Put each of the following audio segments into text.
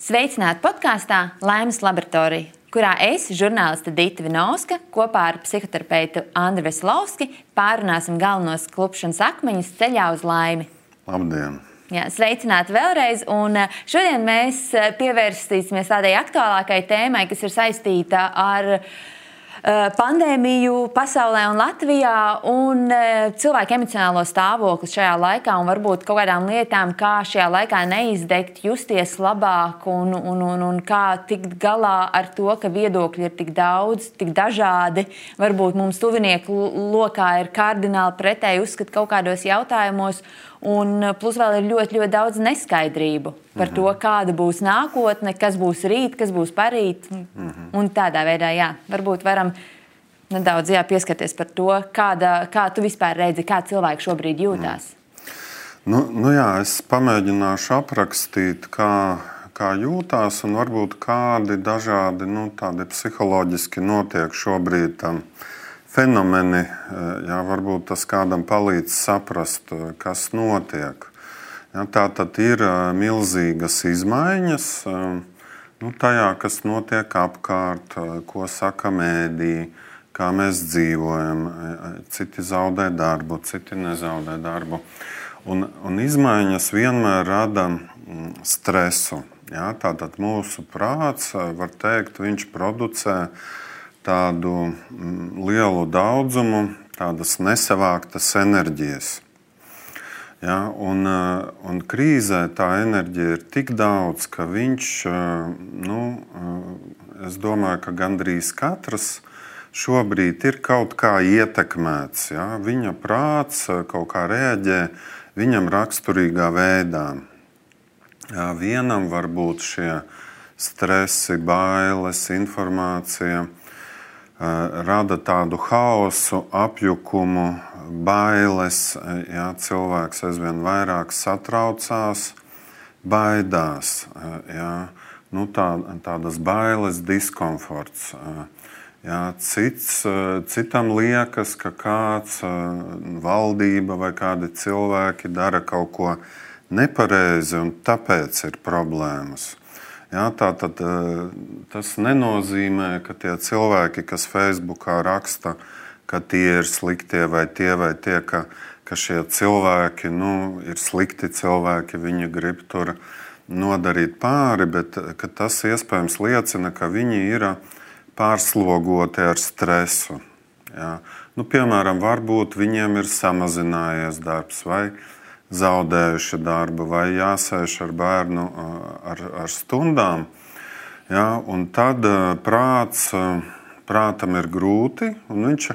Sveicināti podkāstā Laimes laboratorija, kurā es, žurnāliste Dita Vinovska, kopā ar psihoterapeitu Andru Veselovski pārunāsim galvenos klupšanas akmeņus ceļā uz laimi. Labdien! Jā, sveicināti vēlreiz, un šodien mēs pievērsīsimies tādai aktuālākai tēmai, kas ir saistīta ar pandēmiju pasaulē un Latvijā un cilvēku emocionālo stāvokli šajā laikā un varbūt kaut kādām lietām, kā šajā laikā neizdegt, justies labāk un kā tikt galā ar to, ka viedokļi ir tik daudz, tik dažādi. Varbūt mums tuvinieku lokā ir kardināli pretēji uzskati kaut kādos jautājumos, un plus vēl ir ļoti, ļoti daudz neskaidrību par to, kāda būs nākotne, kas būs rīt, kas būs parīt. Un tādā veidā, jā, varbūt varam nedaudz pieskarties par to, kā tu vispār redzi, kā cilvēki šobrīd jūtās. Nu jā, es pamēģināšu aprakstīt, kā jūtās un varbūt kādi dažādi tādi psiholoģiski notiek šobrīd fenomeni, jā, varbūt tas kādam palīdz saprast, kas notiek. Jā, tā tad ir milzīgas izmaiņas tajā, kas notiek apkārt, ko saka mēdī, kā mēs dzīvojam. Citi zaudē darbu, citi nezaudē darbu. Un izmaiņas vienmēr rada stresu. Jā, tātad mūsu prāts, var teikt, viņš producē tādu lielu daudzumu, tādas nesavāktas enerģijas. Ja, un krīzē tā enerģija ir tik daudz, ka viņš, es domāju, ka gandrīz katrs šobrīd ir kaut kā ietekmēts. Ja. Viņa prāts kaut kā reaģē viņam raksturīgā veidā. Ja, vienam var būt šie stresi, bailes, informācija, rada tādu haosu, apjukumu, bailes. Jā, cilvēks aizvien vairāk satraucās, baidās. Jā, tādas bailes, diskomforts. Jā, citam liekas, ka kāds valdība vai kādi cilvēki dara kaut ko nepareizi un tāpēc ir problēmas. Jā, tātad tas nenozīmē, ka tie cilvēki, kas Facebookā raksta, ka tie ir sliktie vai tie, ka šie cilvēki ir slikti cilvēki, viņi grib tur nodarīt pāri, bet ka tas iespējams liecina, ka viņi ir pārslogoti ar stresu. Jā. Piemēram, varbūt viņiem ir samazinājies darbs vai zaudējuši darbu, vai jāsēž ar bērnu ar stundām. Ja, un tad prātam ir grūti, un viņš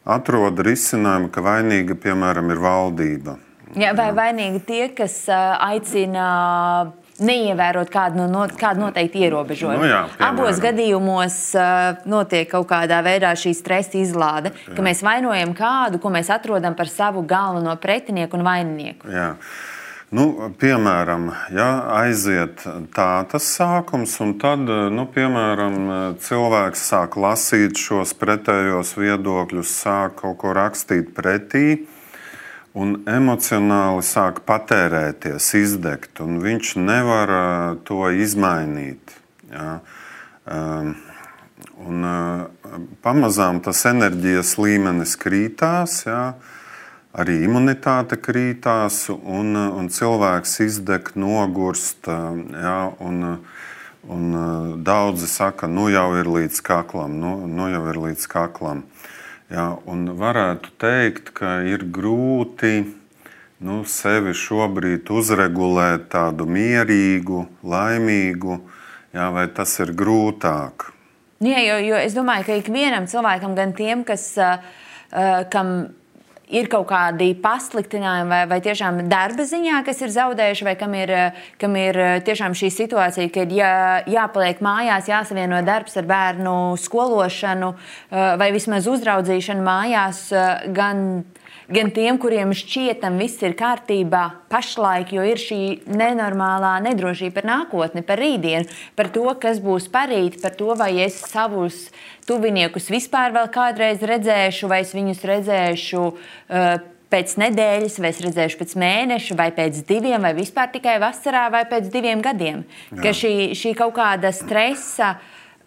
atrod risinājumu, ka vainīga, piemēram, ir valdība. Ja, vai vainīgi tie, kas aicina neievērot kādu noteikti ierobežojumu. Abos gadījumos notiek kaut kādā veidā šī stresa izlāde, ka mēs vainojam kādu, ko mēs atrodam par savu galveno pretinieku un vaininieku. Jā. Piemēram, aiziet tas sākums, un tad, piemēram, cilvēks sāk lasīt šos pretējos viedokļus, sāk kaut ko rakstīt pretī, un emocionāli sāk patērēties, izdegt, un viņš nevar to izmainīt. Ja. Pamazām tas enerģijas līmenis krītās, ja. Arī imunitāte krītās, un cilvēks izdeg, nogurst. Ja, un daudzi saka, jau ir līdz kaklam, jau ir līdz kaklam. Jā, un varētu teikt, ka ir grūti sevi šobrīd uzregulēt tādu mierīgu, laimīgu, jā, vai tas ir grūtāk? Jā, jo es domāju, ka ikvienam cilvēkam, gan tiem, kam ir kaut kādi pasliktinājumi vai tiešām darba ziņā, kas ir zaudējuši, vai kam ir tiešām šī situācija, ka ir jāpaliek mājās, jāsavieno darbs ar bērnu skološanu vai vismaz uzraudzīšanu mājās, gan tiem, kuriem šķietam viss ir kārtībā pašlaik, jo ir šī nenormālā nedrošība par nākotni, par rītdienu, par to, kas būs parīt, par to, vai es savus tuviniekus vispār vēl kādreiz redzēšu, vai es viņus redzēšu pēc nedēļas, vai es redzēšu pēc mēneša, vai pēc 2, vai vispār tikai vasarā, vai pēc 2 gadiem. Jā. Ka šī kaut kāda stresa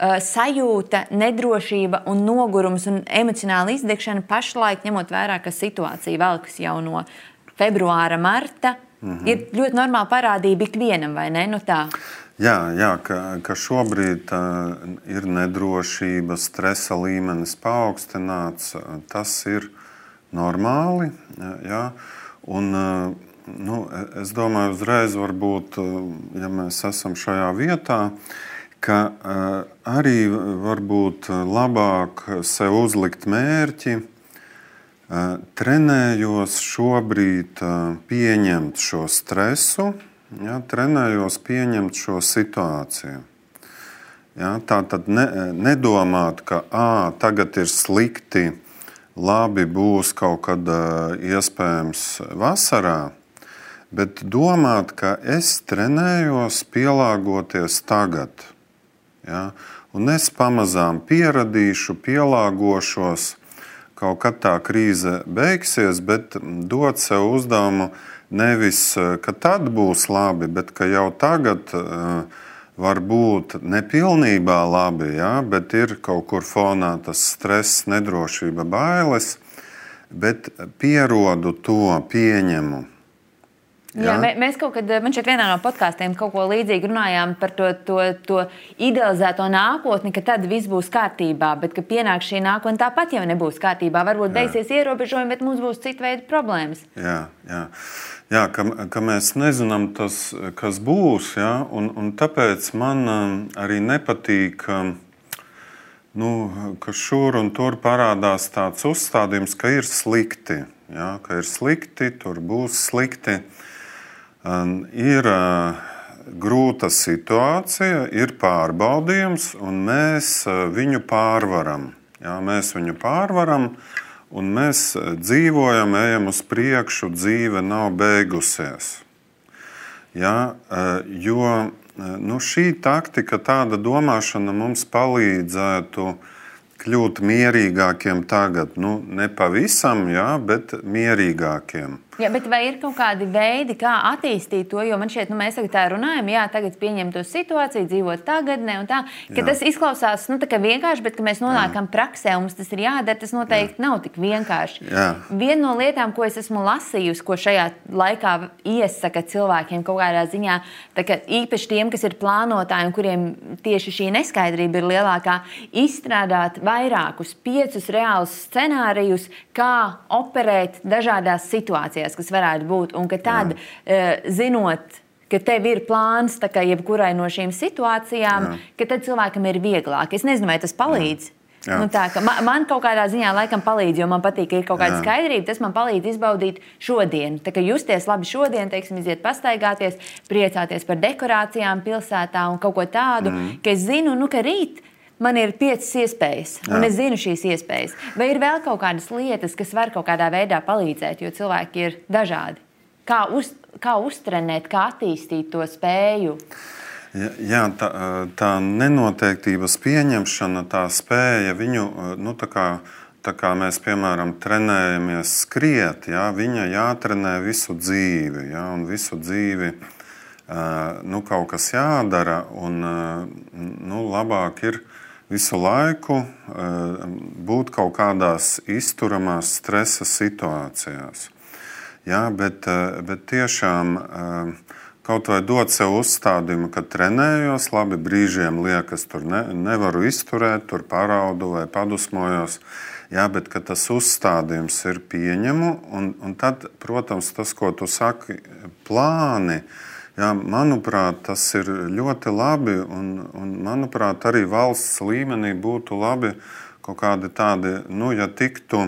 sajūta, nedrošība un nogurums un emocionāla izdegšana pašlaik, ņemot vērā, ka situācija velkas jau no februāra, marta, ir ļoti normāla parādība ikvienam, vai ne? Nu tā. Jā, ka šobrīd ir nedrošība, stresa līmenis paaugstināts, tas ir normāli. Jā. Un, es domāju, uzreiz varbūt, ja mēs esam šajā vietā, ka arī varbūt labāk sev uzlikt mērķi, trenējos šobrīd pieņemt šo stresu, ja, trenējos pieņemt šo situāciju. Ja, tā tad nedomāt, ka tagad ir slikti, labi būs kaut kad iespējams vasarā, bet domāt, ka es trenējos pielāgoties tagad. Ja, un es pamazām pieradīšu, pielāgošos, kaut kad tā krīze beigsies, bet dot sev uzdevumu nevis, ka tad būs labi, bet ka jau tagad var būt nepilnībā labi, ja, bet ir kaut kur fonā tas stress, nedrošība, bailes, bet pierodu to, pieņemu. Jā, mēs kaut kad, man šeit vienā no podkāstiem kaut ko līdzīgi runājām par to idealizēto nākotni, ka tad viss būs kārtībā, bet ka pienāk šī nākotne tāpat jau nebūs kārtībā. Varbūt beigsies ierobežojumi, bet mums būs cita veida problēmas. Jā, ka mēs nezinām tas, kas būs, ja, un tāpēc man arī nepatīk, ka šur un tur parādās tāds uzstādījums, ka ir slikti, ja, ka ir slikti, tur būs slikti. Ir grūta situācija, ir pārbaudījums, un mēs viņu pārvaram. Jā, mēs viņu pārvaram, un mēs dzīvojam, ejam uz priekšu, dzīve nav beigusies. Jā, jo šī taktika, tāda domāšana mums palīdzētu kļūt mierīgākiem tagad. Ne pavisam, jā, bet mierīgākiem. Jā, bet vai ir kaut kādi veidi, kā attīstīt to? Jo man šķiet, mēs tagad tā runājam, jā, tagad pieņemt to situāciju, dzīvot tagadnē un tā, ka tas izklausās tā kā vienkārši, bet ka mēs nonākam praksē un mums tas ir jādara, tas noteikti nav tik vienkārši. Jā. Viena no lietām, ko es esmu lasījusi, ko šajā laikā iesaka cilvēkiem kaut kādā ziņā, tā kā īpaši tiem, kas ir plānotāji un kuriem tieši šī neskaidrība ir lielākā, izstrādāt vairākus 5 reālus scenārijus, kā operēt dažādās situācijās, kas varētu būt, un ka tad, zinot, ka tev ir plāns tā kā jebkurai no šīm situācijām, ka tad cilvēkam ir vieglāk. Es nezinu, vai tas palīdz. Tā, ka man kaut kādā ziņā laikam palīdz, jo man patīk, ka ir kaut kāda skaidrība, tas man palīdz izbaudīt šodien. Tā kā justies labi šodien, teiksim, iziet pastaigāties, priecāties par dekorācijām pilsētā un kaut ko tādu, ka es zinu, ka rīt man ir 5 iespējas, un es zinu šīs iespējas. Vai ir vēl kaut kādas lietas, kas var kaut kādā veidā palīdzēt, jo cilvēki ir dažādi? Kā uztrenēt, kā attīstīt to spēju? Jā, tā nenoteiktības pieņemšana, tā spēja viņu, tā kā mēs, piemēram, trenējamies skriet, jā, viņa jātrenē visu dzīvi, jā, un visu dzīvi kaut kas jādara, un labāk ir visu laiku būt kaut kādās izturamās stresa situācijās. Jā, bet tiešām kaut vai dot sev uzstādījumu, ka trenējos, labi, brīžiem liekas, tur nevaru izturēt, tur paraudu vai padusmojos, jā, bet ka tas uzstādījums ir pieņemu, un tad, protams, tas, ko tu saki, plāni, jā, manuprāt, tas ir ļoti labi, un manuprāt, arī valsts līmenī būtu labi kaut kādi tādi, ja tiktu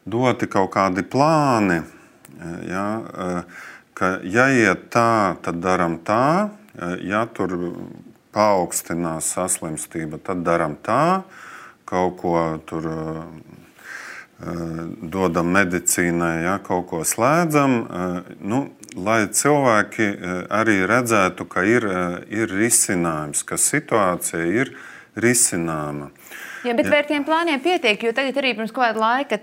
doti kaut kādi plāni, jā, ka ja iet tā, tad daram tā, ja tur paaugstinās saslimstība, tad daram tā, kaut ko tur dodam medicīnai, ja, kaut ko slēdzam, lai cilvēki arī redzētu, ka ir risinājums, ka situācija ir risināma. Jā, bet vai ar tiem plāniem pietiek, jo tagad arī pirms kāda laika,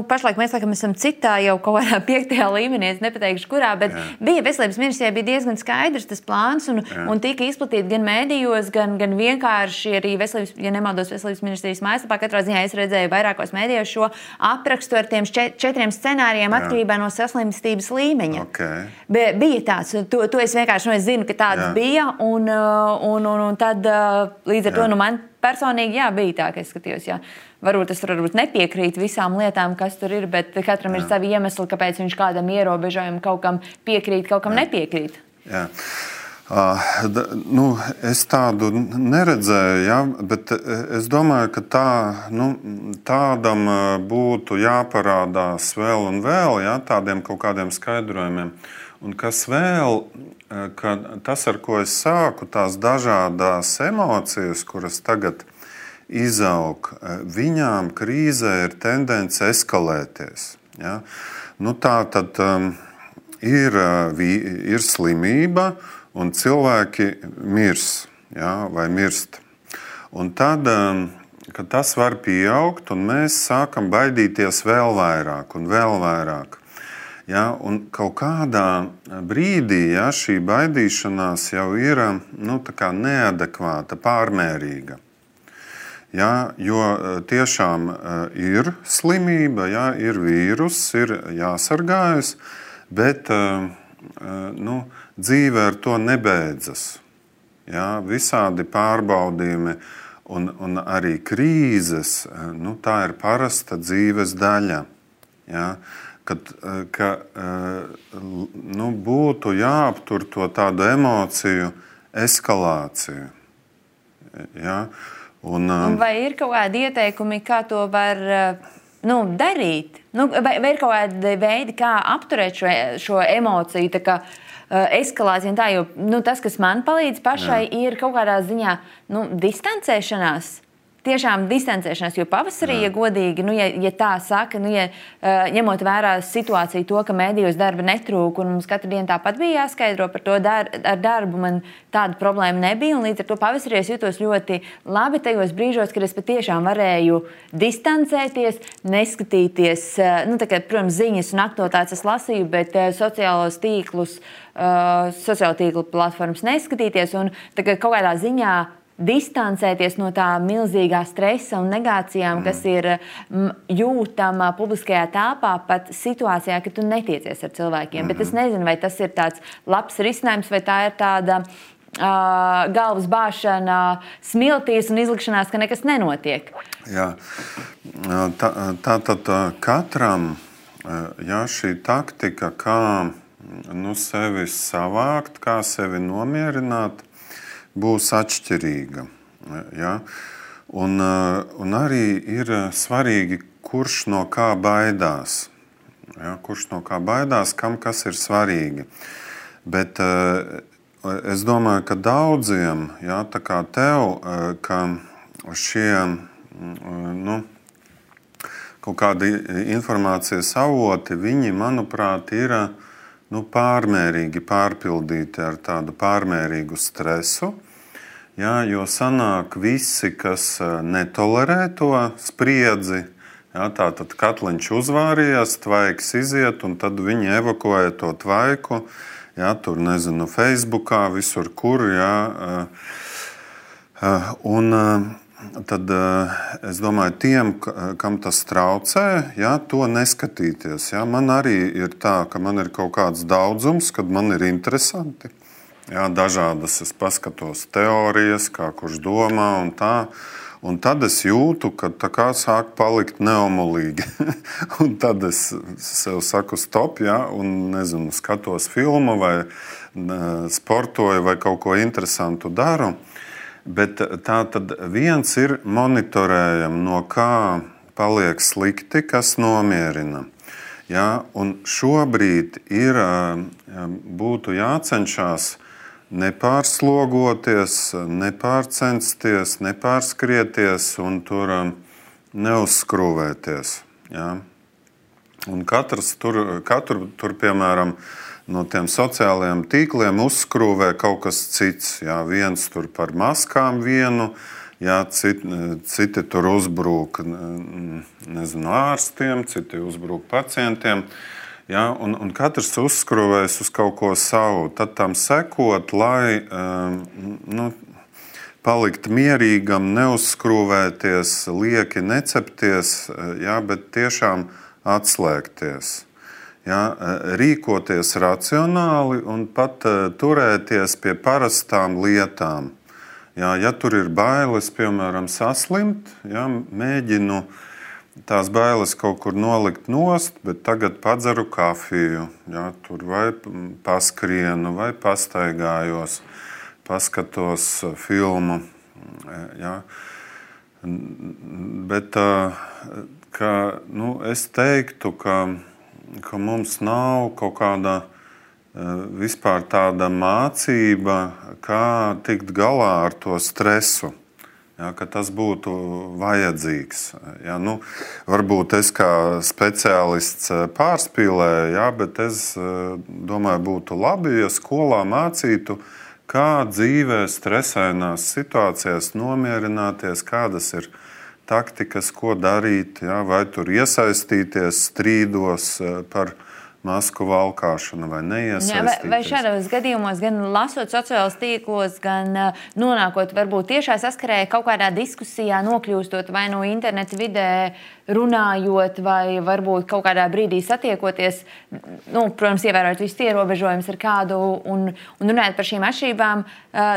pašlaik mēs laikam esam citā jau kaut kādā 5. līmenī, es nepateikšu kurā, bet bija veselības ministrijai bija diezgan skaidrs tas plāns un tika izplatīti gan mēdījos, gan vienkārši arī veselības, ja nemaldos veselības ministrijas mājaslapā, katrā ziņā es redzēju vairākos mēdījos šo aprakstu ar tiem 4 scenārijiem atkarībā no saslimstības līmeņa. Okay. Bija tāds, to es vienkārši es zinu, ka tāds bija un tad līdz ar to man personīgi bija tā, ka es skatījos, varbūt es nepiekrītu visām lietām, kas tur ir, bet katram ir savi iemesli, kāpēc viņš kādam ierobežojumam kaut kam piekrīt, kaut kam nepiekrīt. Jā. Es tādu neredzēju, bet es domāju, ka tādam būtu jāparādās vēl un vēl, tādiem kaut kādiem skaidrojumiem. Un kas vēl, ka tas, ar ko es sāku, tās dažādās emocijas, kuras tagad izaug, viņām krīzē ir tendence eskalēties. Ja? Tā tad ir slimība, un cilvēki mirs, vai mirst. Un tad, kad tas var pieaugt, un mēs sākam baidīties vēl vairāk un vēl vairāk. Ja, un kaut kādā brīdī šī baidīšanās jau ir neadekvāta, pārmērīga. Ja, jo tiešām ir slimība, ir vīrus, ir jāsargājas, bet dzīve ar to nebeidzas. Ja, visādi pārbaudījumi un arī krīzes, tā ir parasta dzīves daļa. Ja. Ka būtu jāaptur to tādu emociju eskalāciju. Ja? Un vai ir kaut kādi ieteikumi, kā to var darīt? Vai ir kaut kādi veidi, kā apturēt šo emociju, tā kā eskalācija un tā, jo tas, kas man palīdz pašai, ir kaut kādā ziņā distancēšanās. Tiešām distancēšanās, jo pavasarī, ja godīgi, ja tā saka, ņemot vērā situāciju to, ka mēdījos darba netrūka un mums katru dienu tāpat bija jāskaidro par to ar darbu, man tāda problēma nebija, un līdz ar to pavasarī es jutos ļoti labi tajos brīžos, kad es patiešām varēju distancēties, neskatīties, protams, ziņas un aktualitātes es lasīju, bet sociālo tīklu platformas neskatīties, un kaut kādā ziņā distancēties no tā milzīgā stresa un negācijām, kas ir jūtama publiskajā telpā, pat situācijā, ka tu netiecies ar cilvēkiem. Bet es nezinu, vai tas ir tāds labs risinājums, vai tā ir tāda galvas bāšana smiltīs un izlikšanās, ka nekas nenotiek. Jā. Tātad katram šī taktika, kā sevi savākt, kā sevi nomierināt, būs atšķirīga. Ja? Un arī ir svarīgi, kurš no kā baidās. Ja? Kurš no kā baidās, kam kas ir svarīgi. Bet es domāju, ka daudziem, tā kā tev, ka šie kaut kādi informācijas avoti, viņi, manuprāt, ir pārmērīgi pārpildīti ar tādu pārmērīgu stresu. Ja, jo sanāk visi, kas netolerē to spriedzi, tātad katliņš uzvārījās, tvaiks iziet, un tad viņi evakuē to tvaiku, tur, nezinu, Facebookā, visur kur, un tad es domāju, tiem, kam tas traucē, to neskatīties. Man arī ir tā, ka man ir kaut kāds daudzums, kad man ir interesanti. Dažādas es paskatos teorijas, kā kurš domā un tā. Un tad es jūtu, ka tā kā sāk palikt neomolīgi. Un tad es sev saku stop, un nezinu, skatos filmu vai sportoju vai kaut ko interesantu daru. Bet tā tad viens ir monitorējam, no kā paliek slikti, kas nomierina. Un šobrīd būtu jācenšas nepārslogoties, nepārcensties, nepārskrieties un tur neuzskrūvēties. Un katru tur, piemēram, no tiem sociālajiem tīkliem uzskrūvē kaut kas cits. Viens tur par maskām vienu, Jā, citi tur uzbrūk ārstiem, citi uzbrūk pacientiem. Jā, un katrs uzskruvējas uz kaut ko savu. Tad tam sekot, lai palikt mierīgam, neuzskrūvēties, lieki necepties, jā, bet tiešām atslēgties. Jā, rīkoties racionāli un pat turēties pie parastām lietām. Jā, ja tur ir bailes, piemēram, saslimt, jā, mēģinu tās bailes kaut kur nolikt nost, bet tagad padzeru kafiju, jā, tur vai paskrienu, vai pastaigājos, paskatos filmu. Jā. Bet es teiktu, ka mums nav kaut kāda vispār tāda mācība, kā tikt galā ar to stresu, ja, ka tas būtu vajadzīgs. Ja, varbūt es kā speciālists pārspīlēju, ja, bet es domāju, būtu labi, ja skolā mācītu, kā dzīvē stresainās situācijās nomierināties, kādas ir taktikas, ko darīt, ja, vai tur iesaistīties strīdos par masku valkāšanu vai neiesaistīties. Vai šādos gadījumos, gan lasot sociālos tīklos, gan nonākot varbūt tiešā saskarē kaut kādā diskusijā, nokļūstot vai no interneta vidē, runājot vai varbūt kaut kādā brīdī satiekoties, protams, ievērojot visus ierobežojumus ar kādu un runājot par šīm atšķirībām,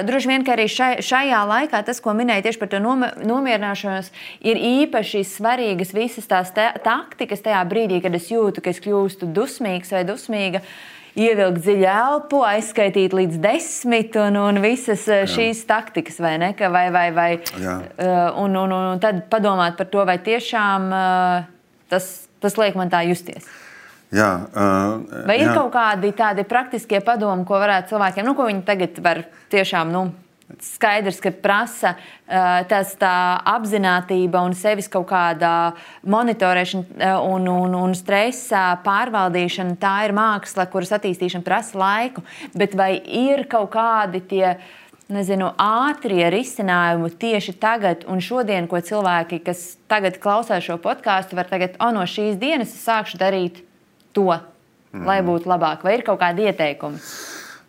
droši vien, ka arī šajā laikā tas, ko minēja tieši par to nomierināšanos, ir īpaši svarīgas visas tās taktikas tajā brīdī, kad es jūtu, ka es kļūstu dusmīgs vai dusmīga, ievilkt dziļu elpu, aizskaitīt līdz 10 un visas šīs taktikas, vai ne? Un tad padomāt par to, vai tiešām tas liek man tā justies. Jā, vai ir kaut kādi tādi praktiskie padomi, ko varētu cilvēkiem, ko viņi tagad var tiešām, skaidrs, ka prasa tā apzinātība un sevis kaut kāda monitorēšana un stresa pārvaldīšana, tā ir māksla, kuras attīstīšana prasa laiku, bet vai ir kaut kādi tie, ātrie risinājumi tieši tagad un šodien, ko cilvēki, kas tagad klausās šo podcastu, var tagad, no šīs dienas es sākšu darīt to, lai būtu labāk, vai ir kaut kādi ieteikumi?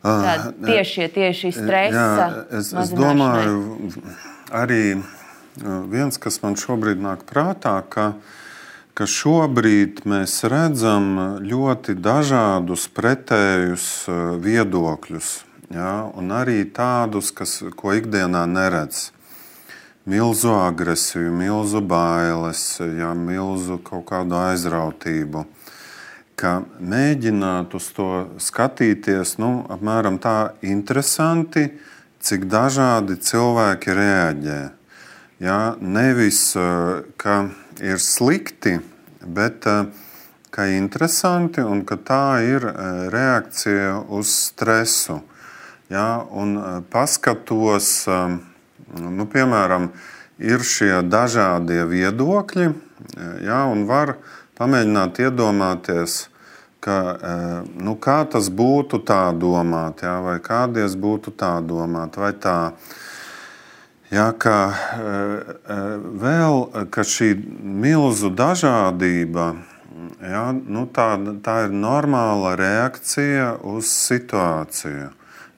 Tieši stresa es domāju, arī viens, kas man šobrīd nāk prātā, ka šobrīd mēs redzam ļoti dažādus pretējus viedokļus, ja, un arī tādus, ko ikdienā neredz. Milzu agresiju, milzu bailes, ja, milzu kaut kādu aizrautību. Ka mēģināt uz to skatīties, apmēram tā interesanti, cik dažādi cilvēki reaģē. Ja, nevis, ka ir slikti, bet ka interesanti un ka tā ir reakcija uz stresu. Ja, un paskatos, piemēram, ir šie dažādie viedokļi, ja, un var pamēģināt iedomāties, kā tas būtu tā domāt, jā, vai kādies būtu tā domāt, vai tā. Jā, ka šī milzu dažādība, jā, tā ir normāla reakcija uz situāciju.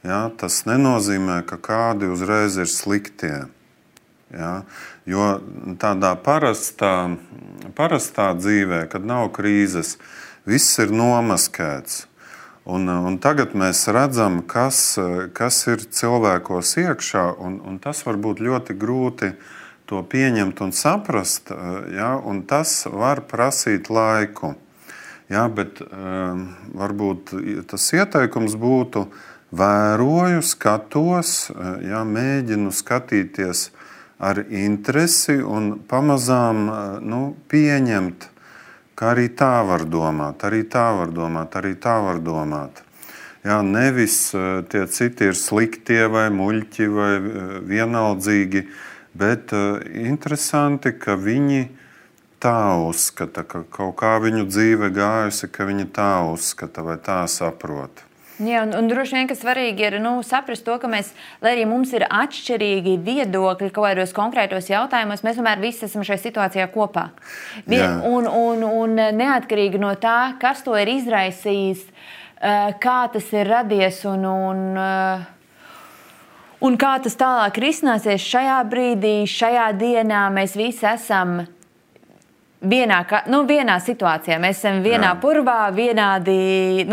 Jā, tas nenozīmē, ka kādi uzreiz ir sliktie. Jā, jo tādā parastā dzīvē, kad nav krīzes, viss ir nomaskēts. Un tagad mēs redzam, kas ir cilvēkos iekšā, un tas var būt ļoti grūti to pieņemt un saprast, ja, un tas var prasīt laiku. Ja, bet varbūt tas ieteikums būtu vēroju, skatos, ja, mēģinu skatīties ar interesi un pamazām pieņemt, ka arī tā var domāt, arī tā var domāt, arī tā var domāt. Jā, nevis tie citi ir sliktie vai muļķi vai vienaldzīgi, bet interesanti, ka viņi tā uzskata, ka kaut kā viņu dzīve gājusi, ka viņi tā uzskata vai tā saprot. Jā, un droši vien, ka svarīgi ir saprast to, ka mēs, lai arī mums ir atšķirīgi viedokļi kaut kādos konkrētos jautājumos, mēs tomēr visi esam šajā situācijā kopā. Un neatkarīgi no tā, kas to ir izraisījis, kā tas ir radies un kā tas tālāk risināsies šajā brīdī, šajā dienā, mēs visi esam vienā situācijā. Mēs esam vienā purvā, vienādi,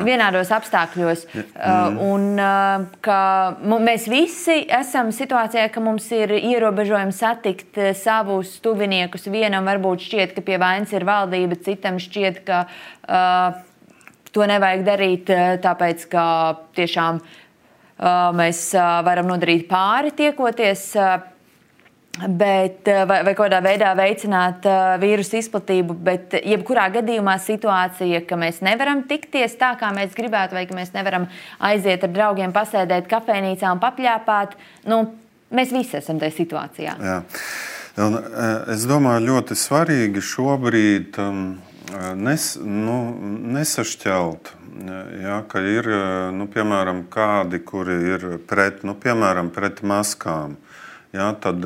vienādos apstākļos. Un ka mēs visi esam situācijā, ka mums ir ierobežojumi satikt savus tuviniekus. Vienam varbūt šķiet, ka pie vainas ir valdība, citam šķiet, ka to nevajag darīt, tāpēc, ka tiešām mēs varam nodarīt pāri tiekoties, bet, vai kādā veidā veicināt vīrusu izplatību, bet jebkurā gadījumā situācija, ka mēs nevaram tikties tā, kā mēs gribētu, vai ka mēs nevaram aiziet ar draugiem, pasēdēt kafejnīcā un papļāpāt, mēs visi esam tajā situācijā. Jā. Un, es domāju, ļoti svarīgi šobrīd nesašķelt, ka ir, piemēram, kādi, kuri ir pret maskām. Tad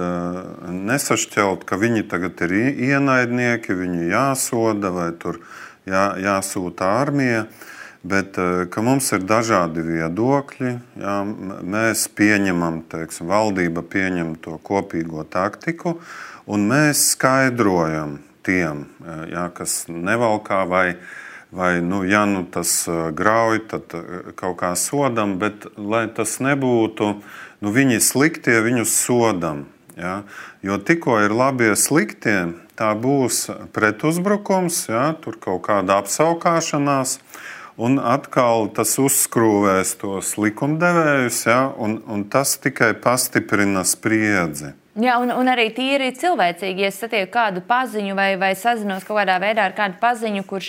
nesašķelt, ka viņi tagad ir ienaidnieki, viņu jāsoda vai tur jāsūta armija, bet ka mums ir dažādi viedokļi. Mēs pieņemam, valdība pieņem to kopīgo taktiku, un mēs skaidrojam tiem, kas nevalkā vai tas grauj, tad kaut kā sodam, bet lai tas nebūtu, viņi sliktie, viņus sodam. Jo tikko ir labie sliktie, tā būs pretuzbrukums, tur kaut kāda apsaukāšanās, un atkal tas uzskrūvēs tos likumdevējus, un tas tikai pastiprina spriedzi. Jā, un arī tīri cilvēcīgi, ja es satieku kādu paziņu vai sazinos kaut kādā veidā ar kādu paziņu, kur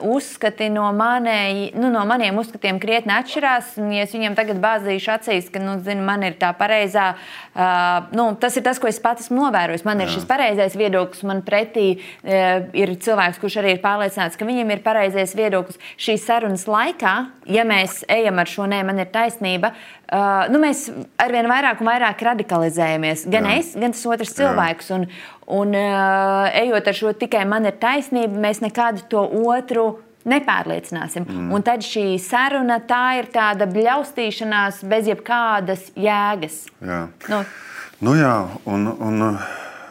uzskati no maniem uzskatiem krietni atšķirās, ja es viņiem tagad bāzīšu acīs, ka, man ir tā pareizā, tas ir tas, ko es pats esmu novērojis. Man ir šis pareizais viedoklis, man pretī ir cilvēks, kurš arī ir pārliecināts, ka viņam ir pareizais viedoklis. Šīs sarunas laikā, ja mēs ejam ar šo man ir taisnība, mēs arvien vairāk un vairāk radikalizējamies. Gan es, gan tas otrs cilvēks. Un ejot ar šo tikai man ir taisnība, mēs nekādu to otru nepārliecināsim. Un tad šī saruna, tā ir tāda bļaustīšanās bez jebkādas jēgas. Jā.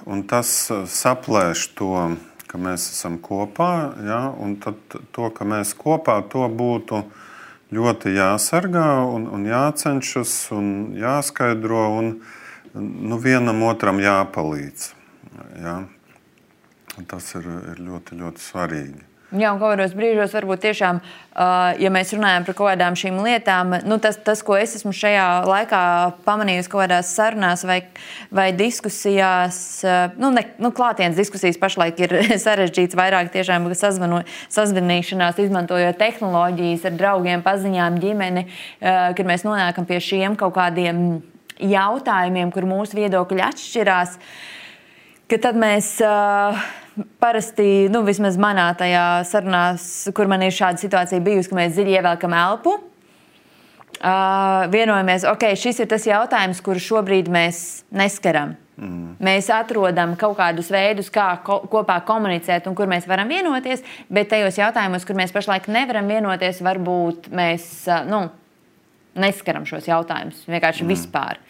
Un tas saplēš to, ka mēs esam kopā, un tad to, ka mēs kopā, to būtu ļoti jāsargā un jācenšas un jāskaidro un vienam otram jāpalīdz. Tas ir ļoti, ļoti svarīgi. Jā, un kaut kādos brīžos varbūt tiešām, ja mēs runājam par kaut kādām šīm lietām, tas, ko es esmu šajā laikā pamanījusi kaut kādās sarunās vai diskusijās, klātienes diskusijas pašlaik ir sarežģīts vairāk tiešām sazvanīšanās, izmantojot tehnoloģijas ar draugiem, paziņām, ģimeni, kad mēs nonākam pie šiem kaut kādiem jautājumiem, kur mūsu viedokļi atšķirās, ka tad mēs parasti, vismaz manā tajā sarunās, kur man ir šāda situācija bijusi, ka mēs dziļi ievelkam elpu, vienojamies, šis ir tas jautājums, kuru šobrīd mēs neskaram. Mēs atrodam kaut kādus veidus, kā kopā komunicēt un kur mēs varam vienoties, bet tajos jautājumos, kur mēs pašlaik nevaram vienoties, varbūt mēs neskaram šos jautājumus vienkārši vispār.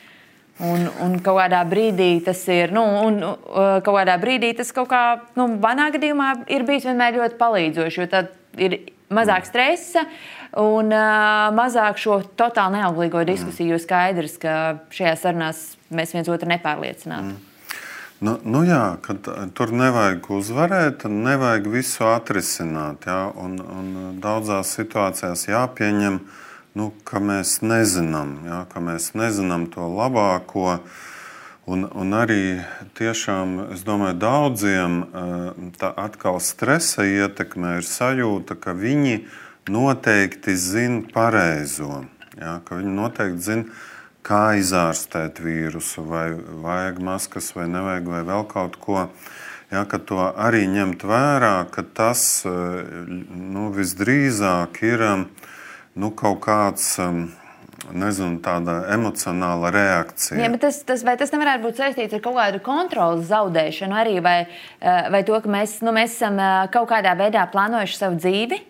Un kaut kādā brīdī tas ir, kaut kādā brīdī tas kaut kā, manā gadījumā ir bijis vienmēr ļoti palīdzoši, jo tad ir mazāk stresa un mazāk šo totāli neauglīgo diskusiju, jo skaidrs, ka šajā sarunās mēs viens otru nepārliecinātu. Jā, kad tur nevajag uzvarēt, nevajag visu atrisināt, un daudzās situācijās jāpieņem, ka mēs nezinām, ka mēs nezinām to labāko. Un arī tiešām, es domāju, daudziem tā atkal stresa ietekmē ir sajūta, ka viņi noteikti zina pareizo. Ka viņi noteikti zina, kā izārstēt vīrusu, vai vajag maskas, vai nevajag, vai vēl kaut ko. ja, ka to arī ņemt vērā, ka tas visdrīzāk ir kaut kāds, nezinu, tāda emocionāla reakcija. Jā, bet tas nevarētu būt saistīts ar kaut kādu kontrolas zaudēšanu arī, vai to, ka mēs esam kaut kādā veidā plānojuši savu dzīvi,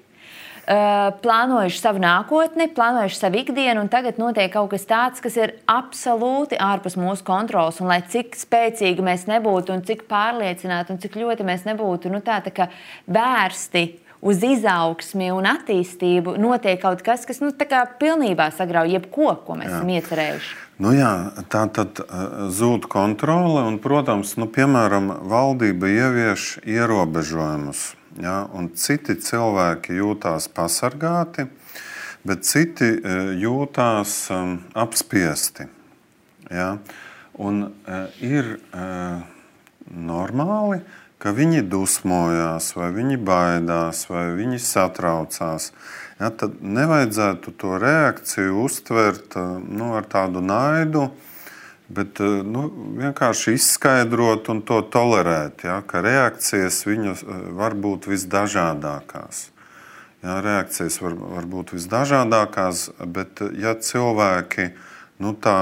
plānojuši savu nākotni, plānojuši savu ikdienu, un tagad notiek kaut kas tāds, kas ir absolūti ārpus mūsu kontrolas. Un lai cik spēcīgi mēs nebūtu, un cik pārliecināti, un cik ļoti mēs nebūtu tā kā vērsti uz izaugsmi un attīstību, notiek kaut kas, kas tā kā pilnībā sagrauj jebko, ko mēs esam iecerējuši. Tā tad zūd kontrole, un, protams, piemēram, valdība ievieš ierobežojumus. Ja, un citi cilvēki jūtās pasargāti, bet citi jūtās apspiesti. Ja, un ir normāli, ka viņi dusmojās, vai viņi baidās, vai viņi satraucās. Ja, tad nevajadzētu to reakciju uztvert ar tādu naidu, bet vienkārši izskaidrot un to tolerēt, ja, ka reakcijas viņas var būt visdažādākās. Ja, reakcijas var būt visdažādākās, bet ja cilvēki tā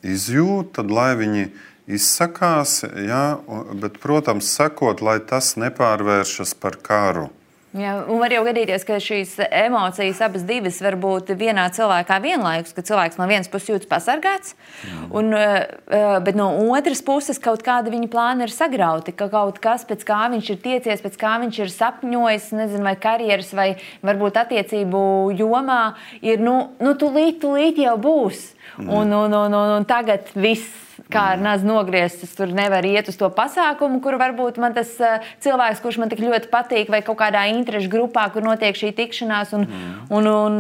izjūt, tad lai viņi izsakās, ja, bet, protams, sakot, lai tas nepārvēršas par karu. Jā, un var jau gadīties, ka šīs emocijas abas divas var būt vienā cilvēkā vienlaikus, ka cilvēks no vienas puses jūtas pasargāts, bet no otras puses kaut kāda viņa plāna ir sagrauti, ka kaut kas, pēc kā viņš ir tiecies, pēc kā viņš ir sapņojis, nezinu, vai karjeras, vai varbūt attiecību jomā, ir, tūlīt jau būs. Un tagad viss kā ar nazu nogrieztas, tur nevar iet uz to pasākumu, kur varbūt man tas cilvēks, kurš man tik ļoti patīk, vai kaut kādā interešu grupā, kur notiek šī tikšanās, un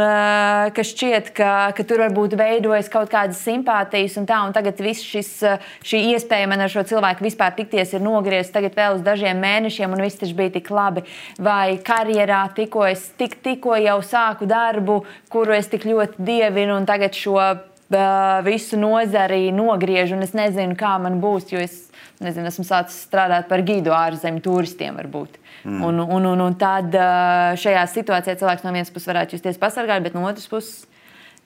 ka šķiet, ka tur varbūt veidojas kaut kādas simpātijas un tā, un tagad viss šī iespēja man ar šo cilvēku vispār tikties ir nogriezta tagad vēl uz dažiem mēnešiem, un viss taču bija tik labi. Vai karjerā tikko jau sāku darbu, kuru es tik ļoti dievinu, un tagad šo visu nozari nogriežu, un es nezinu, kā man būs, jo es esmu sācis strādāt par gidu ārzemju turistiem varbūt. Un tad šajā situācijā cilvēks no vienas puses varētu justies pasargāt, bet no otras puses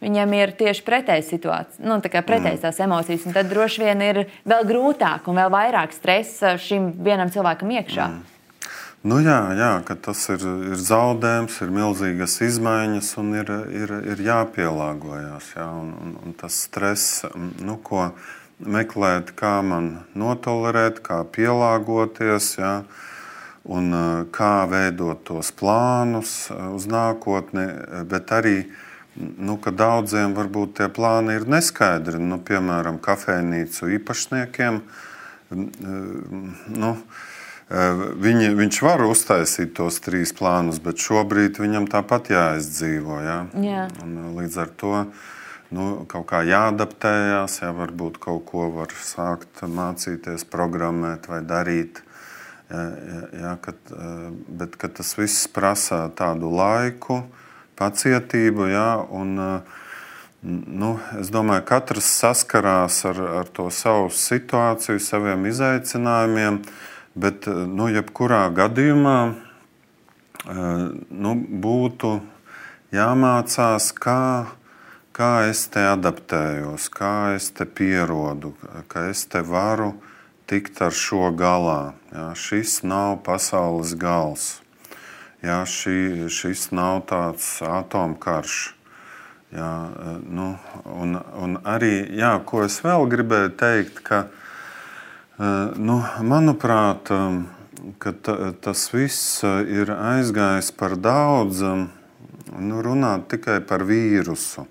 viņam ir tieši pretēja situācija, tā kā pretējas tās emocijas, un tad droši vien ir vēl grūtāk un vēl vairāk stresa šim vienam cilvēkam iekšā. Jā, ka tas ir zaudējums, ir milzīgas izmaiņas un ir jāpielāgojas. Ja, un tas stress, ko meklēt, kā man notolerēt, kā pielāgoties, ja, un kā veidot tos plānus uz nākotni, bet arī, ka daudziem varbūt tie plāni ir neskaidri. Piemēram, kafejnīcu īpašniekiem, viņš var uztaisīt tos 3 plānus, bet šobrīd viņam tāpat jāizdzīvo. Ja? Jā. Un līdz ar to kaut kā jāadaptējās, ja varbūt kaut ko var sākt mācīties, programmēt vai darīt. Ja, bet tas viss prasa tādu laiku, pacietību, ja, un es domāju, ka katrs saskarās ar to savu situāciju, saviem izaicinājumiem. Bet jebkurā gadījumā būtu jāmācās, kā es te adaptējos, kā es te pierodu, ka es te varu tikt ar šo galā. Ja, šis nav pasaules gals. Ja, šis nav tāds atomkarš. Ja, un arī, ko es vēl gribēju teikt, ka manuprāt, ka tas viss ir aizgājis par daudz runāt tikai par vīrusu.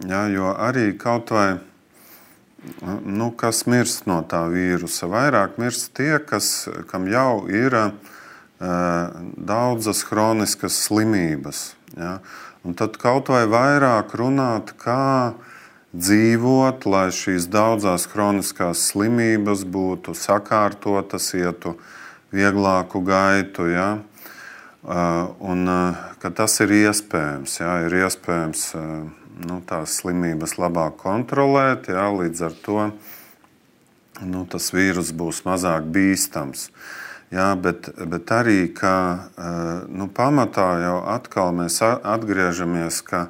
Ja, jo arī kaut vai, kas mirst no tā vīrusa, vairāk mirst tie, kam jau ir daudzas hroniskas slimības. Ja. Un tad kaut vai vairāk runāt, kā dzīvot, lai šīs daudzās hroniskās slimības būtu sakārtotas, ietu vieglāku gaitu. Ja? Un ka tas ir iespējams. Ja? Ir iespējams tās slimības labāk kontrolēt. Ja? Līdz ar to tas vīrus būs mazāk bīstams. Jā, bet arī, ka pamatā jau atkal mēs atgriežamies, ka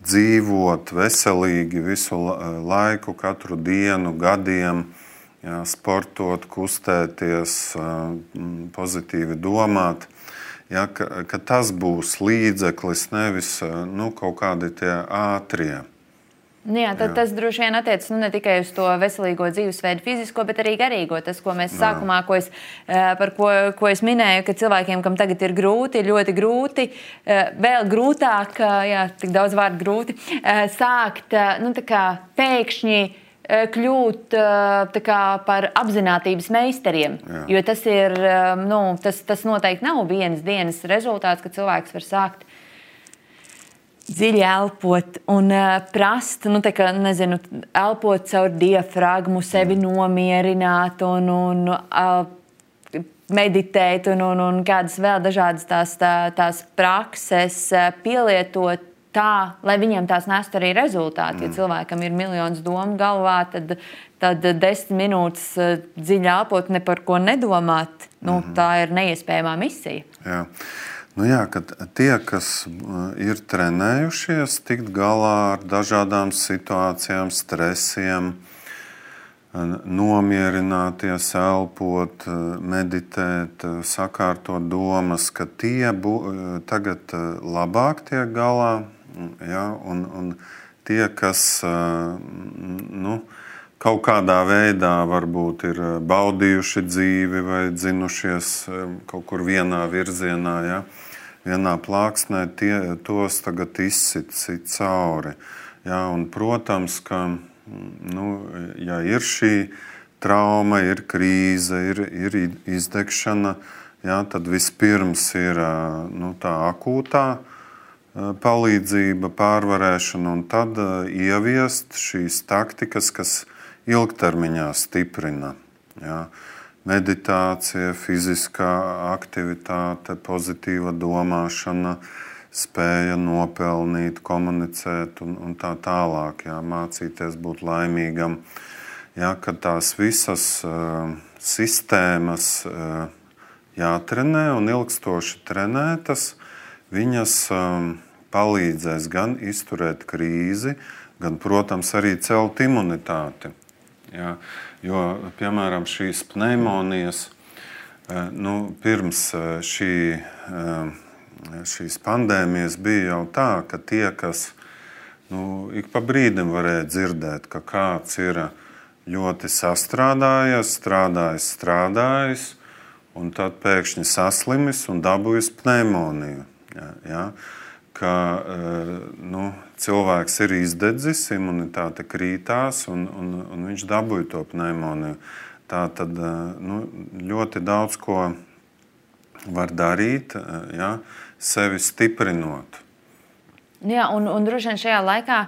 dzīvot veselīgi visu laiku, katru dienu, gadiem, jā, sportot, kustēties, pozitīvi domāt, jā, ka tas būs līdzeklis, nevis kaut kādi tie ātrie. Jā, tas droši vien attiecas ne tikai uz to veselīgo dzīvesveidu, fizisko, bet arī garīgo. Tas, ko mēs sākumā, ko es minēju, ka cilvēkiem, kam tagad ir grūti, ir ļoti grūti, vēl grūtāk, tik daudz vārdu grūti, sākt pēkšņi kļūt par apzinātības meistariem. Jā. Jo tas ir, tas noteikti nav vienas dienas rezultāts, ka cilvēks var sākt dziļi elpot un prast, elpot caur diafragmu, sevi nomierināt un meditēt un kādas vēl dažādas tās prakses pielietot tā, lai viņiem tās nestu arī rezultāti. Ja cilvēkam ir miljonus domu galvā, tad 10 minūtes dziļi elpot, ne par ko nedomāt, tā ir neiespējamā misija. Jā. Ka tie, kas ir trenējušies, tikt galā ar dažādām situācijām, stresiem, nomierināties, elpot, meditēt, sakārtot domas, ka tie tagad labāk tiek galā, ja, un tie, kas kaut kādā veidā varbūt ir baudījuši dzīvi vai dzinušies kaut kur vienā virzienā, ja, vienā plāksnē, tos tagad izsit cauri. Ja, un, protams, ka ja ir šī trauma, ir krīze, ir izdegšana, ja, tad vispirms ir tā akūtā palīdzība, pārvarēšana, un tad ieviest šīs taktikas, kas ilgtermiņā stiprina. Ja. Meditācija, fiziskā aktivitāte, pozitīva domāšana, spēja nopelnīt, komunicēt un tā tālāk. Ja. Mācīties būt laimīgam. Ja, kad tās visas sistēmas jātrenē un ilgstoši trenētas, viņas palīdzēs gan izturēt krīzi, gan, protams, arī celt imunitāti. Ja, jo, piemēram, šīs pneimonijas, pirms šīs pandēmijas bija jau tā, ka tie, kas ik pa brīdim varēja dzirdēt, ka kāds ir ļoti sastrādājies, strādājis, un tad pēkšņi saslimis un dabūjis pneimoniju. Ja, ka cilvēks ir izdedzis, imunitāte krītās un viņš dabūja to pneimoniju. Tā tad ļoti daudz ko var darīt, ja, sevi stiprinot. Jā, un droši vien šajā laikā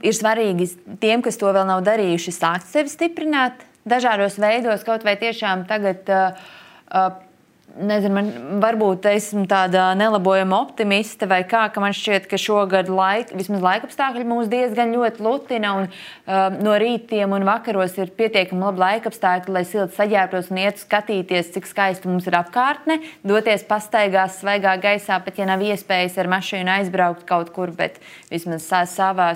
ir svarīgi tiem, kas to vēl nav darījuši, sākt sevi stiprināt dažādos veidos, kaut vai tiešām tagad nezinu, varbūt esmu tāda nelabojama optimiste vai kā, ka man šķiet, ka šogad vismaz laikapstākļi mūs diezgan ļoti lutina un no rītiem un vakaros ir pietiekami labi laikapstākļi, lai silti saģērbtos un iet skatīties, cik skaisti mums ir apkārtne, doties pastaigās svaigā gaisā, pat ja nav iespējas ar mašīnu aizbraukt kaut kur, bet vismaz savā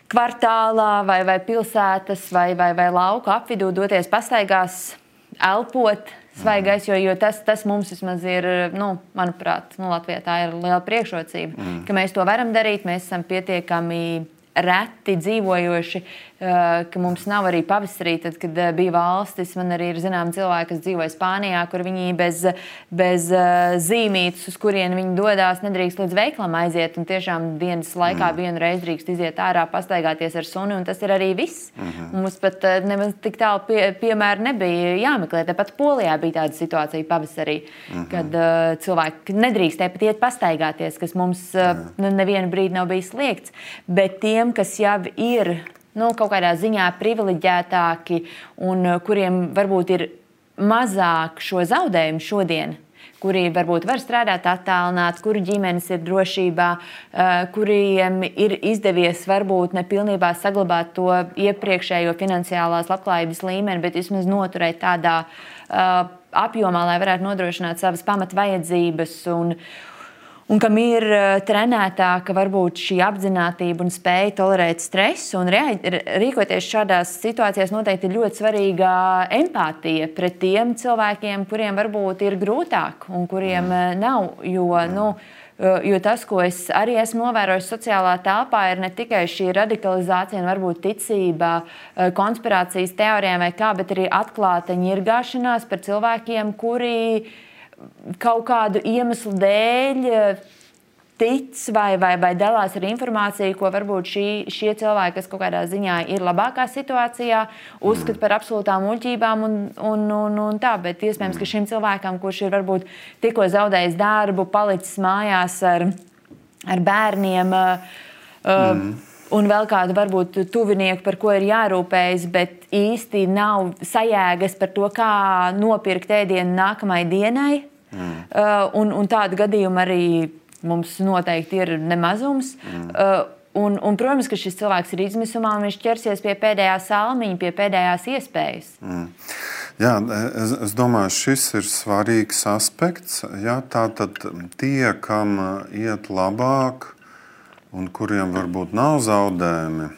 kvartālā vai pilsētas vai lauku apvidū doties pastaigās, elpot, svaigais, jo tas mums vismaz ir, manuprāt, Latvijā tā ir liela priekšrocība, ka mēs to varam darīt, mēs esam pietiekami reti dzīvojoši, ka mums nav arī pavasarī, tad, kad bija valstis, man arī ir zinām cilvēki, kas dzīvoja Spānijā, kur viņi bez zīmītes, uz kurien viņi dodās, nedrīkst līdz veiklam aiziet, un tiešām dienas laikā vienu reizi drīkst iziet ārā, pastaigāties ar suni, un tas ir arī viss. Mums pat nemaz tik tālu piemēri nebija jāmeklē. Tāpat Polijā bija tāda situācija pavasarī, kad cilvēki nedrīkstēja pat iet pastaigāties, kas mums nevienu brīdi nav bijis liegts, bet tiem, kas jau ir kaut kādā ziņā privileģētāki un kuriem varbūt ir mazāk šo zaudējumu šodien, kuri varbūt var strādāt attālināti, kuru ģimenes ir drošībā, kuriem ir izdevies varbūt nepilnībā saglabāt to iepriekšējo finansiālās labklājības līmeni, bet vismaz noturēt tādā apjomā, lai varētu nodrošināt savas pamatvajadzības un kam ir trenētāka varbūt šī apzinātība un spēja tolerēt stresu un rīkoties šādās situācijās noteikti ir ļoti svarīga empātija pret tiem cilvēkiem, kuriem varbūt ir grūtāk un kuriem nav, jo tas, ko es arī esmu novērojis sociālā telpā, ir ne tikai šī radikalizācija un varbūt ticība konspirācijas teorijām vai kā, bet arī atklāta ņirgāšanās par cilvēkiem, kuri kaut kādu iemeslu dēļ tic vai dalās ar informāciju, ko varbūt šie cilvēki, kas kaut kādā ziņā ir labākā situācijā, uzskata par absolūtām muļķībām un tā. Bet iespējams, ka šim cilvēkam, kurš ir varbūt tikko zaudējis darbu, palicis mājās ar bērniem, un vēl kādu varbūt tuvinieku, par ko ir jārūpējas, bet īsti nav sajēgas par to, kā nopirkt ēdienu nākamai dienai. Un tādu gadījumu arī mums noteikti ir nemazums. Un, protams, ka šis cilvēks ir izmisumā un viņš ķersies pie pēdējā salmiņa, pie pēdējās iespējas. Jā, es domāju, šis ir svarīgs aspekts. Jā, tātad tie, kam iet labāk un kuriem varbūt nav zaudējumi,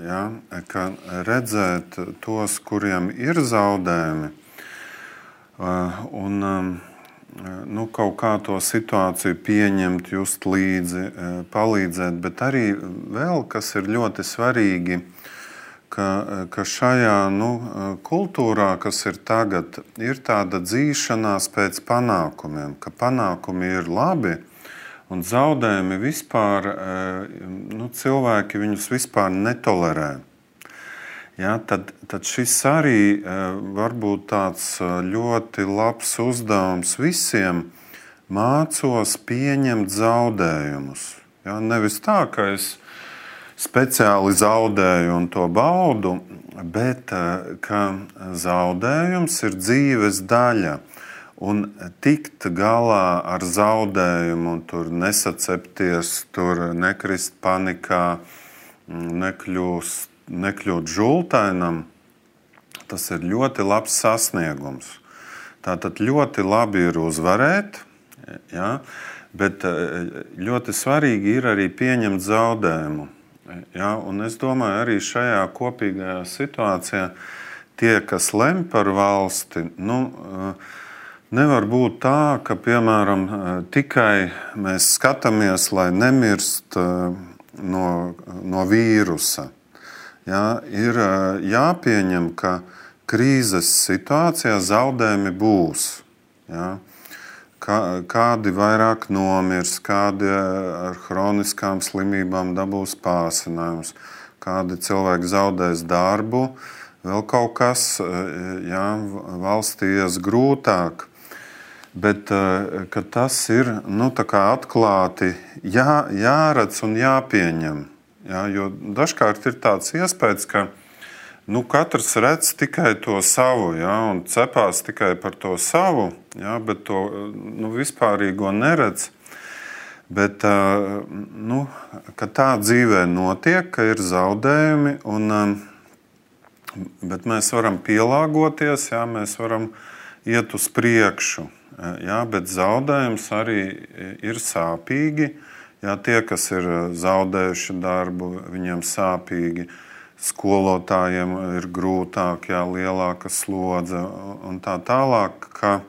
jā, ka redzēt tos, kuriem ir zaudējumi, un kaut kā to situāciju pieņemt, just līdzi, palīdzēt, bet arī vēl, kas ir ļoti svarīgi, ka šajā kultūrā, kas ir tagad, ir tāda dzīšanās pēc panākumiem, ka panākumi ir labi un zaudējumi vispār, cilvēki viņus vispār netolerē. Ja, tad šis arī var būt tāds ļoti labs uzdevums visiem mācos pieņemt zaudējumus. Ja, nevis tā, ka es speciāli zaudēju un to baudu, bet ka zaudējums ir dzīves daļa. Un tikt galā ar zaudējumu un tur nesacepties, tur nekrist panikā, nekļūt žultainam, tas ir ļoti labs sasniegums. Tātad ļoti labi ir uzvarēt, ja, bet ļoti svarīgi ir arī pieņemt zaudējumu. Ja, un es domāju, arī šajā kopīgajā situācijā tie, kas lemj par valsti, nevar būt tā, ka, piemēram, tikai mēs skatāmies, lai nemirst no vīrusa. Ja, ir jāpieņem, ka krīzes situācijā zaudējumi būs. Ja. Kādi vairāk nomirs, kādi ar hroniskām slimībām dabūs pārsinājumus, kādi cilvēki zaudēs darbu, vēl kaut kas, ja, valstī ies grūtāk. Bet ka tas ir tā kā atklāti jāredz un jāpieņem. Ja, jo dažkārt ir tāds iespējas, ka katrs redz tikai to savu, ja, un cepās tikai par to savu, ja, bet to vispārīgo neredz. Bet ka tā dzīvē notiek, ka ir zaudējumi, bet mēs varam pielāgoties, ja, mēs varam iet uz priekšu. Ja, bet zaudējums arī ir sāpīgi. Ja, tie, kas ir zaudējuši darbu, viņiem sāpīgi, skolotājiem ir grūtāk, ja, lielāka slodze un tā tālāk. Ka,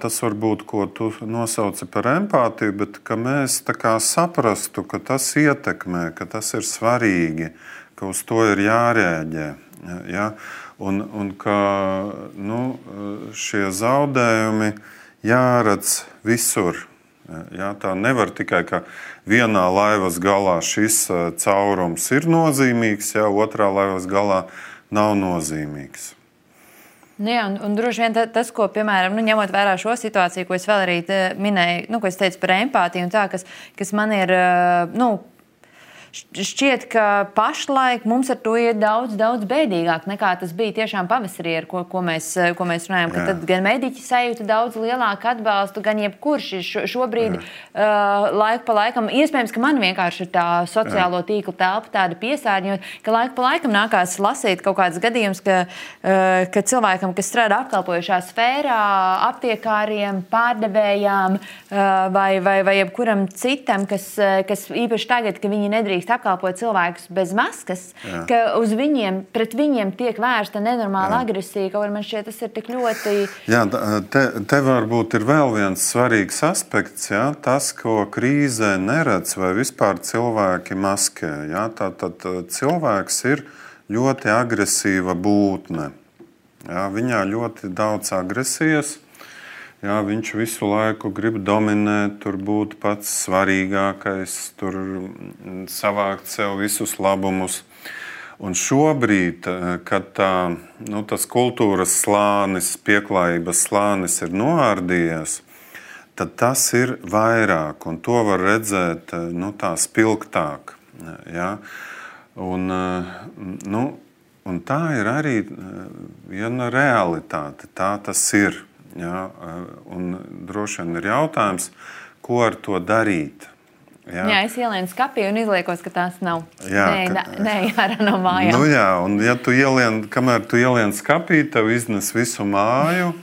tas var būt, ko tu nosauci par empātiju, bet ka mēs tā kā saprastu, ka tas ietekmē, ka tas ir svarīgi, ka uz to ir jārēģē. Ja, un ka šie zaudējumi jāredz visur. Jā, tā nevar tikai, ka vienā laivas galā šis caurums ir nozīmīgs, ja otrā laivas galā nav nozīmīgs. Jā, un droši vien tas, ko, piemēram, ņemot vērā šo situāciju, ko es vēl arī minēju, ko es teicu par empātiju un tā, kas man ir, šķiet, ka pašlaik mums ar to ir daudz bēdīgāk nekā tas bija tiešām pavasarī, ar ko mēs runājam. Ka tad gan mediķi sajūta daudz lielāku atbalstu, gan jebkurš ir šobrīd laiku pa laikam. Iespējams, ka man vienkārši ir tā sociālo tīklu telpa tāda piesārņot, ka laiku pa laikam nākās lasīt kaut kādas gadījumus, ka cilvēkam, kas strādā apkalpojušā sfērā, aptiekāriem, pārdevējām vai jebkuram citam, kas īpaši tagad, ka viņi nedrīkst apkalpot cilvēkus bez maskas, ka pret viņiem tiek vērsta nenormāla agresija, kaut arī man šķiet, tas ir tik ļoti... Jā, te varbūt ir vēl viens svarīgs aspekts, tas, ko krīzē neredz vai vispār cilvēki maskē. Tātad cilvēks ir ļoti agresīva būtne. Viņā ļoti daudz agresijas. Viņš visu laiku grib dominēt, tur būt pats svarīgākais, tur savākt sev visus labumus. Un šobrīd, kad tas kultūras slānis, pieklājības slānis ir noārdījies, tad tas ir vairāk, un to var redzēt tā spilgtāk. Un tā ir arī viena realitāte, tā tas ir. Un droši vien ir jautājums, ko ar to darīt. Es ielienu skapī un izliekos, ka tās nav. Nē, ārā no mājām. Un ja kamēr tu ielien skapī, tev iznes visu māju,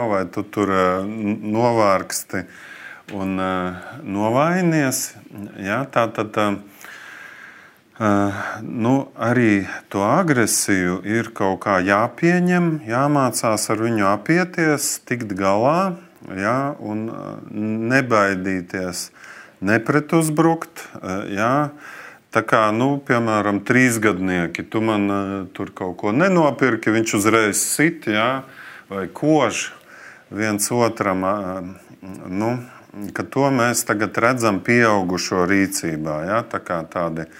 vai tu tur novārksti un novainies, arī to agresiju ir kaut kā jāpieņem, jāmācās ar viņu apieties, tikt galā, un nebaidīties, nepretuzbrukt. Tā kā, piemēram, 3-gadnieki, tu man tur kaut ko nenopirki, viņš uzreiz sit, vai kož viens otram, ka to mēs tagad redzam pieaugušo rīcībā, tā kā tādi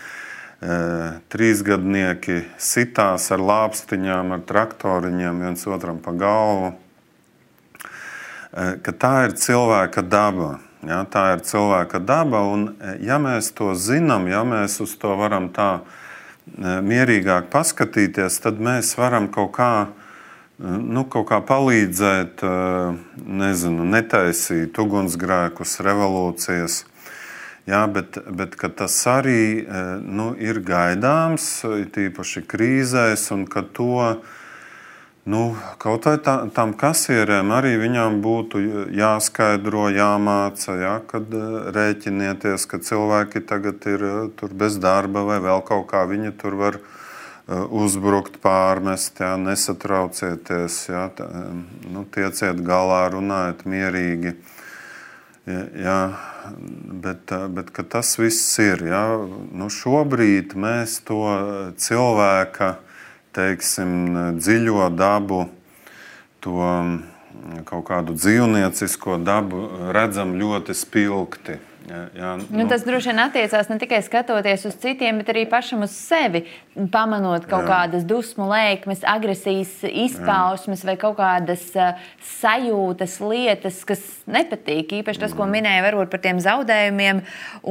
3-gadnieki sitās ar lāpstiņām, ar traktoriņiem viens otram pa galvu. Ka tā ir cilvēka daba. Tā ir cilvēka daba, un ja mēs to zinām, ja mēs uz to varam tā mierīgāk paskatīties, tad mēs varam kaut kā palīdzēt, netaisīt ugunsgrēkus, revolūcijas. Bet tas arī ir gaidāms, tīpaši krīzēs, un ka to kaut vai tam kasierēm arī viņām būtu jāskaidro, jāmāca, kad rēķinieties, ka cilvēki tagad ir tur bez darba vai vēl kaut kā, viņi tur var uzbrukt, pārmest, nesatraucieties, tieciet galā, runājiet mierīgi. Bet ka tas viss ir. Šobrīd mēs to cilvēka, dziļo dabu, to kaut kādu dzīvniecisko dabu redzam ļoti spilgti. Tas droši vien attiecās ne tikai skatoties uz citiem, bet arī pašam uz sevi, pamanot kaut kādas dusmu lēkmes, agresijas izpausmes vai kaut kādas sajūtas, lietas, kas nepatīk. Īpaši tas, ko minēja varbūt par tiem zaudējumiem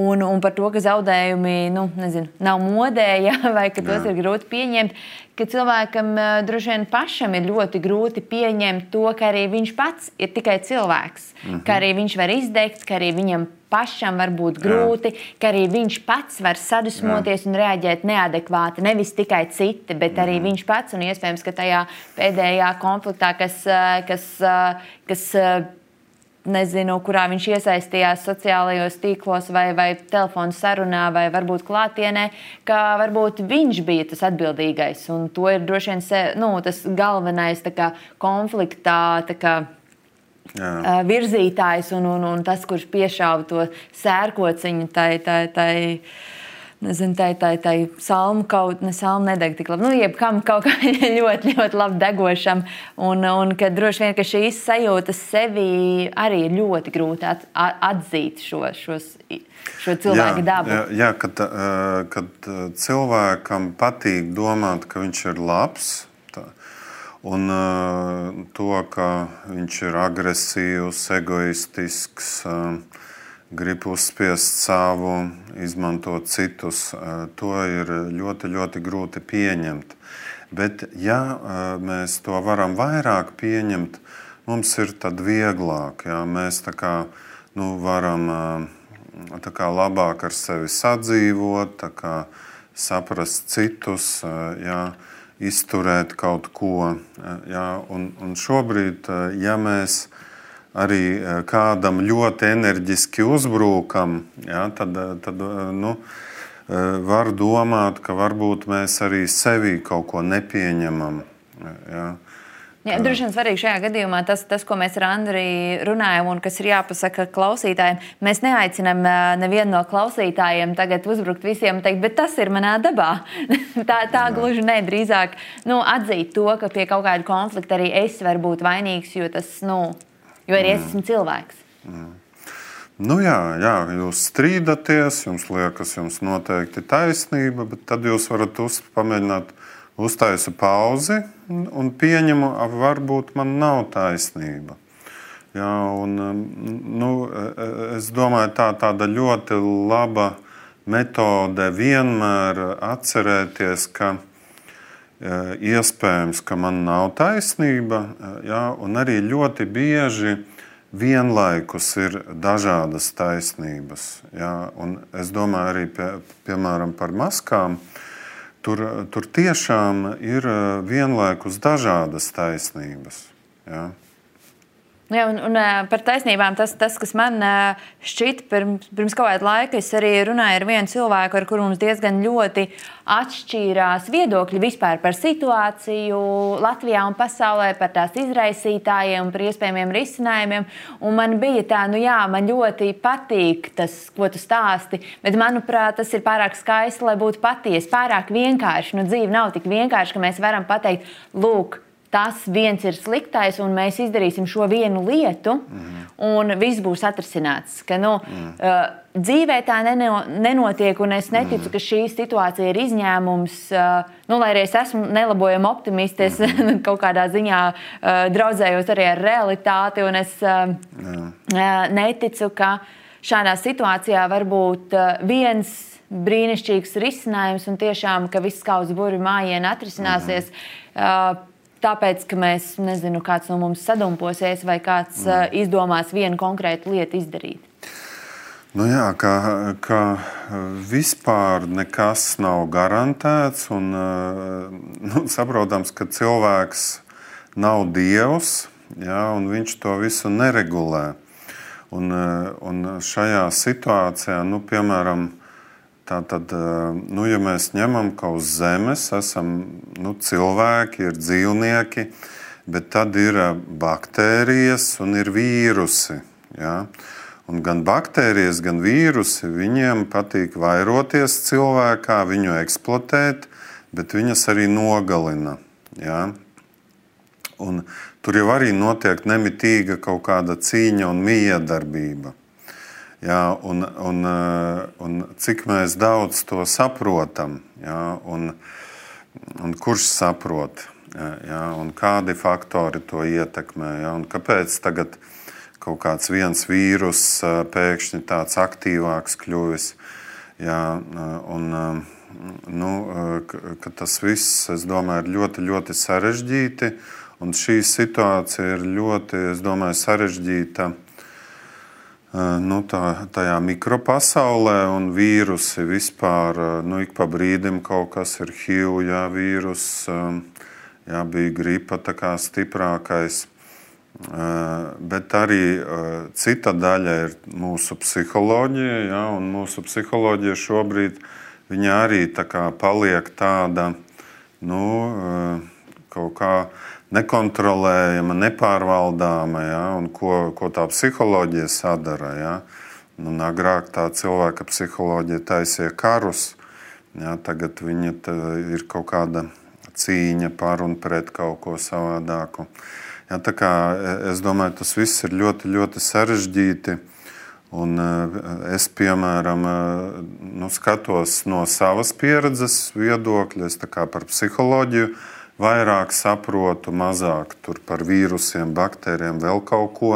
un par to, ka zaudējumi nav modē, vai ka tos ir grūti pieņemt. Ka cilvēkam droši vien pašam ir ļoti grūti pieņemt to, ka arī viņš pats ir tikai cilvēks, ka arī viņš var izdegt, ka arī viņam pašam var būt grūti, ka arī viņš pats var sadusmoties un reaģēt neadekvāti, nevis tikai citi, bet arī viņš pats, un iespējams, ka tajā pēdējā konfliktā, kas nezinu, kurā viņš iesaistījās sociālajos tīklos vai telefonu sarunā vai varbūt klātienē, ka varbūt viņš bija tas atbildīgais, un to ir droši vien tas galvenais konfliktā virzītājs un tas, kurš piešāva to sērkociņu tai salmu kaut, salmu nedeg tik labi, jebkam kaut kā ļoti, ļoti labi degošam, un ka droši vien, ka šīs sajūtas sevi arī ir ļoti grūti atzīt šo cilvēku dabu. Kad cilvēkam patīk domāt, ka viņš ir labs, un to, ka viņš ir agresīvs, egoistisks, grib uzspiest savu, izmantot citus. To ir ļoti, ļoti grūti pieņemt. Bet, ja mēs to varam vairāk pieņemt, mums ir tad vieglāk. Ja? Mēs tā kā, varam tā kā labāk ar sevi sadzīvot, tā kā saprast citus, ja? Izturēt kaut ko. Ja? Un šobrīd, ja mēs arī kādam ļoti enerģiski uzbrūkam, ja? tad var domāt, ka varbūt mēs arī sevi kaut ko nepieņemam. Ja? Jā, droši vien svarīgi šajā gadījumā tas, ko mēs ar Andri runājam un kas ir jāpasaka klausītājiem. Mēs neaicinām nevienu no klausītājiem tagad uzbrukt visiem un teikt, bet tas ir manā dabā. tā gluži ne, drīzāk atzīt to, ka pie kaut kāda konflikta arī es varu būt vainīgs, jo arī es esmu cilvēks. Jā, jūs strīdaties, jums liekas, jums noteikti taisnība, bet tad jūs varat pamēģināt uztaisu pauzi un pieņemu, varbūt man nav taisnība. Jā, es domāju, tāda ļoti laba metode vienmēr atcerēties, ka iespējams, ka man nav taisnība, jā, un arī ļoti bieži vienlaikus ir dažādas taisnības. Jā, un es domāju arī, piemēram, par maskām. Tur tiešām ir vienlaikus dažādas taisnības. Ja? Jā, un par taisnībām tas, kas man šķita pirms kaut kāda laika, es arī runāju ar vienu cilvēku, ar kuru mums diezgan ļoti atšķīrās viedokļi vispār par situāciju Latvijā un pasaulē, par tās izraisītājiem, par iespējamiem risinājumiem. Un man bija tā, man ļoti patīk tas, ko tu stāsti, bet manuprāt, tas ir pārāk skaisti, lai būtu patiesi, pārāk vienkārši. Dzīve nav tik vienkārši, ka mēs varam pateikt, lūk, tas viens ir sliktais, un mēs izdarīsim šo vienu lietu, un viss būs atrisināts. Ka, dzīvē tā nenotiek, un es neticu, ka šī situācija ir izņēmums. Lai arī es esmu nelabojama optimiste, es kaut kādā ziņā draudzējos arī ar realitāti, un es neticu, ka šādā situācijā var būt viens brīnišķīgs risinājums, un tiešām, ka viss kā uz burvju mājiena atrisināsies. Tāpēc, ka mēs, kāds no mums sadumposies vai kāds izdomās vienu konkrētu lietu izdarīt. Jā, ka vispār nekas nav garantēts un saprotams, ka cilvēks nav dievs, ja, un viņš to visu neregulē. Un šajā situācijā, piemēram, tātad, ja mēs ņemam, ka uz zemes esam cilvēki, ir dzīvnieki, bet tad ir baktērijas un ir vīrusi. Ja? Un gan baktērijas, gan vīrusi, viņiem patīk vairoties cilvēkā, viņu eksploatēt, bet viņas arī nogalina. Ja? Un tur jau arī notiek nemitīga kaut kāda cīņa un miedarbība. Jā, un cik mēs daudz to saprotam, jā, un kurš saprot, jā, un kādi faktori to ietekmē, jā, un kāpēc tagad kaut kāds viens vīrus pēkšņi tāds aktīvāks kļuvis, jā, un ka tas viss, es domāju, ir ļoti, ļoti sarežģīti, un šī situācija ir ļoti, es domāju, sarežģīta tajā mikropasaulē, un vīrusi vispār, ik pa brīdim kaut kas ir HIV, jā, vīrus, jā, bija gripa tā kā stiprākais, bet arī cita daļa ir mūsu psiholoģija, jā, un mūsu psiholoģija šobrīd, viņa arī tā kā paliek tāda, kaut kā nekontrolējama, nepārvaldāma, ja, un ko tā psiholoģija sadara. Ja. Agrāk tā cilvēka psiholoģija taisīja karus, ja, tagad viņa ir kaut kāda cīņa par un pret kaut ko savādāku. Ja, tā kā es domāju, tas viss ir ļoti, ļoti sarežģīti, un es, piemēram, skatos no savas pieredzes viedokļa, es tā kā par psiholoģiju vairāk saprotu, mazāk tur par vīrusiem, baktērijiem, vēl kaut ko,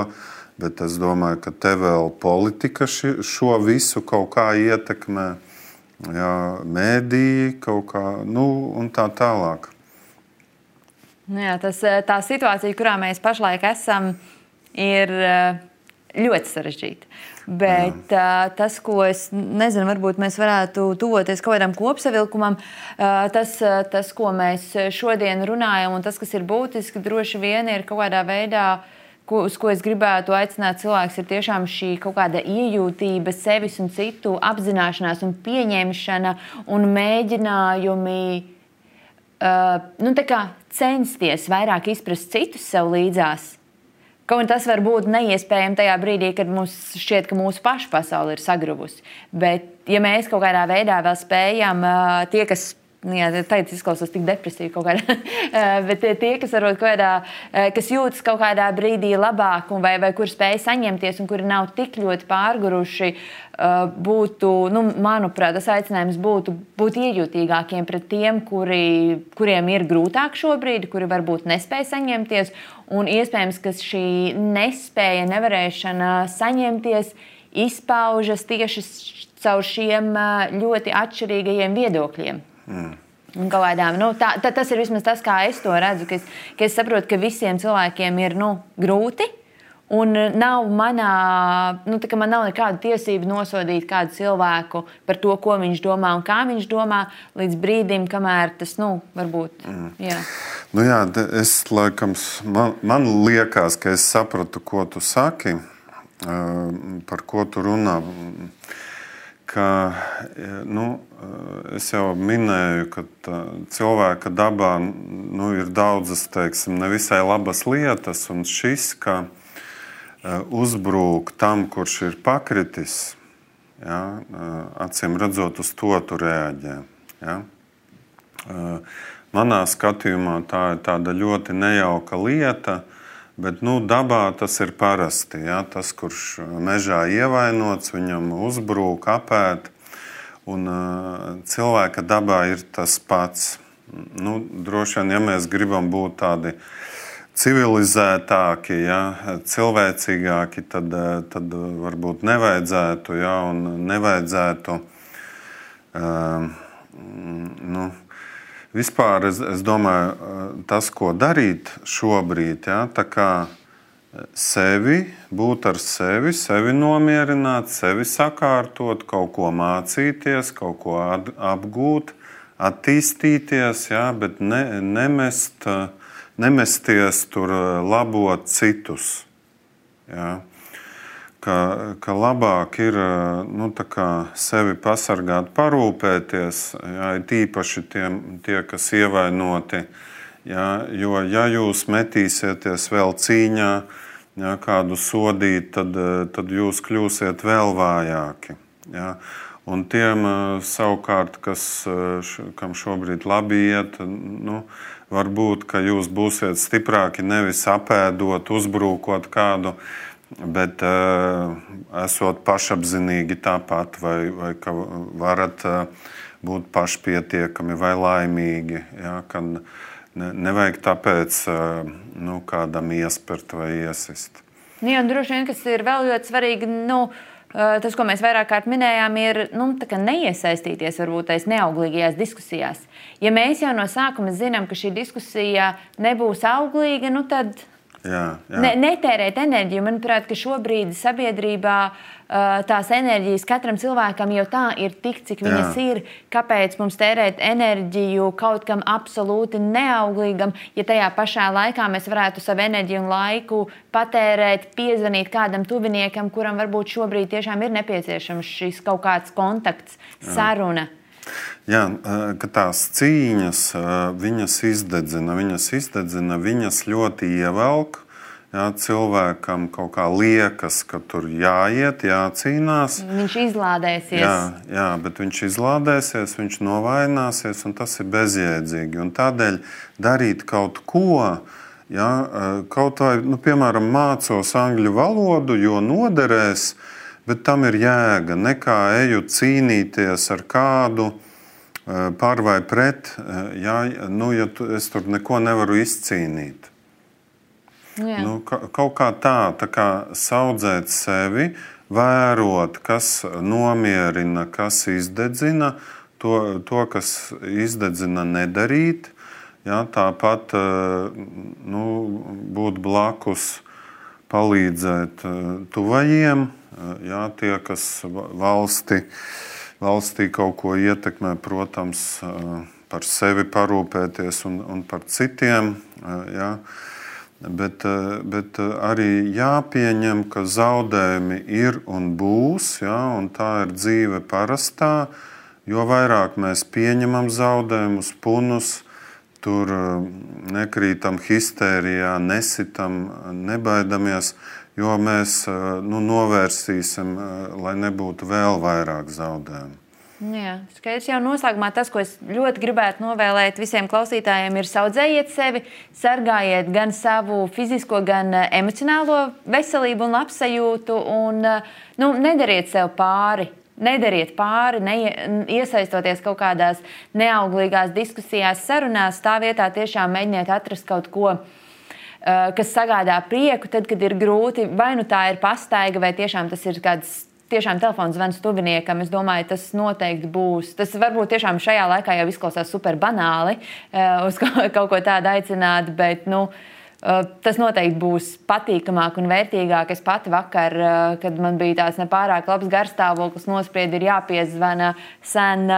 Bet es domāju, ka te vēl politika šo visu kaut kā ietekmē, jā, mēdīji kaut kā, un tā tālāk. Jā, tā situācija, kurā mēs pašlaik esam, ir ļoti sarežģīta. Bet tas, ko es nezinu, varbūt mēs varētu tuvoties kaut kādam kopsavilkumam, tas, ko mēs šodien runājam, un tas, kas ir būtiski, droši vien ir kaut kādā veidā, uz ko es gribētu aicināt cilvēks, ir tiešām šī kaut kāda iejūtība, sevis un citu apzināšanās un pieņemšana un mēģinājumi tā kā censties vairāk izprast citus sev līdzās. Kaut un tas var būt neiespējami tajā brīdī, kad mums šķiet, ka mūsu pašu pasaule ir sagruvusi. Bet, ja mēs kaut kādā veidā vēl spējam, tie, kas, tagad izklausās tik depresīvi kaut kādā, bet tie, kas varbūt kaut kādā, kas jūtas kaut kādā brīdī labāk, vai kur spēj saņemties, un kuri nav tik ļoti pārguruši, būtu, manuprāt, tas aicinājums būtu būt iejūtīgākiem pret tiem, kuriem ir grūtāk šobrīd, kuri varbūt nespēj saņemties, un iespējams, ka šī nespēja, nevarēšana saņemties izpaužas tieši caur šiem ļoti atšķirīgajiem viedokļiem. Un kādām, tas ir vismaz tas, kā es to redzu, ka es saprotu, ka visiem cilvēkiem ir grūti, un nav man nav nekāda tiesība nosodīt kādu cilvēku par to, ko viņš domā un kā viņš domā, līdz brīdim, kamēr tas, varbūt, jā. Jā, es laikam, man liekas, ka es sapratu, ko tu saki, par ko tu runā. Ka, es jau minēju, ka cilvēka dabā ir daudzas, nevisai labas lietas, un šis, ka uzbrūk tam, kurš ir pakritis, ja, acīm redzot, uz to tu reaģē. Ja. Manā skatījumā tā ir tāda ļoti nejauka lieta, bet dabā tas ir parasti. Ja? Tas, kurš mežā ievainots, viņam uzbrūk, apēd. Un cilvēka dabā ir tas pats. Droši vien, ja mēs gribam būt tādi civilizētāki, ja? Cilvēcīgāki, tad varbūt nevajadzētu. Ja? Un nevajadzētu vispār es domāju, tas, ko darīt šobrīd, ja, tā kā būt ar sevi nomierināt, sevi sakārtot, kaut ko mācīties, kaut ko apgūt, attīstīties, ja, bet nemesties tur labot citus. Ja. Ka labāk ir sevi pasargāt, parūpēties, jā, īpaši tie, kas ievainoti. Jā, jo, ja jūs metīsieties vēl cīņā, jā, kādu sodīt, tad jūs kļūsiet vēl vājāki. Jā. Un tiem savukārt, kam šobrīd labi iet, varbūt, ka jūs būsiet stiprāki nevis apēdot, uzbrūkot kādu, bet esot pašapzinīgi tāpat, vai ka varat būt pašpietiekami vai laimīgi. Ja, ka nevajag tāpēc kādam iespert vai iesist. Jā, un droši vien, kas ir vēl ļoti svarīgi, tas, ko mēs vairāk kārt minējām, ir neiesaistīties varbūt tais neauglīgajās diskusijās. Ja mēs jau no sākuma zinām, ka šī diskusija nebūs auglīga, tad netērēt enerģiju. Manuprāt, ka šobrīd sabiedrībā tās enerģijas katram cilvēkam jau tā ir tik, cik viņas ir. Kāpēc mums tērēt enerģiju kaut kam absolūti neauglīgam, ja tajā pašā laikā mēs varētu savu enerģiju un laiku patērēt, piezvanīt kādam tuviniekam, kuram varbūt šobrīd tiešām ir nepieciešams šis kaut kāds kontakts, saruna. Jā, ka tās cīņas, viņas izdedzina, viņas ļoti ievelk. Jā, cilvēkam kaut kā liekas, ka tur jāiet, jācīnās. Viņš izlādēsies. Jā, bet viņš izlādēsies, viņš novaināsies, un tas ir bezjēdzīgi. Un tādēļ darīt kaut ko, jā, kaut vai, piemēram, mācos angļu valodu, jo noderēs, bet tam ir jēga, nekā eju cīnīties ar kādu par vai pret, ja es tur neko nevaru izcīnīt. Nu, kaut kā tā kā saudzēt sevi, vērot, kas nomierina, kas izdedzina, to kas izdedzina, nedarīt. Ja, tāpat būt blakus, palīdzēt tuvajiem, ja, tie, kas valstī kaut ko ietekmē, protams, par sevi parūpēties un par citiem. Ja. Bet arī jāpieņem, ka zaudējumi ir un būs, ja, un tā ir dzīve parastā. Jo vairāk mēs pieņemam zaudējumus, punus, tur nekrītam histērijā, nesitam, nebaidamies, jo mēs novērsīsim, lai nebūtu vēl vairāk zaudējumu. Jā, skaidrs jau noslēgumā tas, ko es ļoti gribētu novēlēt visiem klausītājiem, ir saudzējiet sevi, sargājiet gan savu fizisko, gan emocionālo veselību un labsajūtu un nedariet sev pāri. Nedariet pāri, iesaistoties kaut kādās neauglīgās diskusijās, sarunās, tā vietā tiešām mēģiniet atrast kaut ko, kas sagādā prieku, tad, kad ir grūti, vai nu tā ir pastaiga, vai tiešām tas ir kāds tiešām telefons zvans tuviniekam. Es domāju, tas noteikti būs. Tas varbūt tiešām šajā laikā jau izklausās super banāli uz kaut ko tādu aicināt, bet tas noteikti būs patīkamāk un vērtīgāk. Es pati vakar, kad man bija tāds nepārāk labs garstāvoklis, nospriedi, ir jāpiezvana sen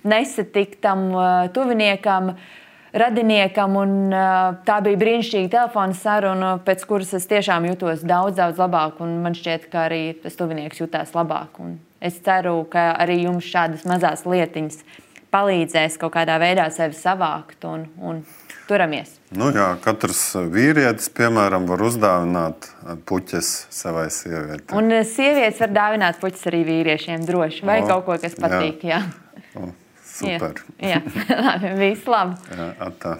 nesatiktam tuviniekam, radiniekam, un tā bija brīnišķīga telefona saruna, pēc kuras es tiešām jutos daudz labāk, un man šķiet, ka arī tas tuvinieks jutās labāk. Un es ceru, ka arī jums šādas mazās lietiņas palīdzēs kaut kādā veidā sevi savākt un turamies. Jā, katrs vīrietis, piemēram, var uzdāvināt puķes savai sievietei. Un sievietes var dāvināt puķes arī vīriešiem droši, vai kaut ko, kas patīk. Jā. Super. Jā. Labi, viss labi. Jā, atā.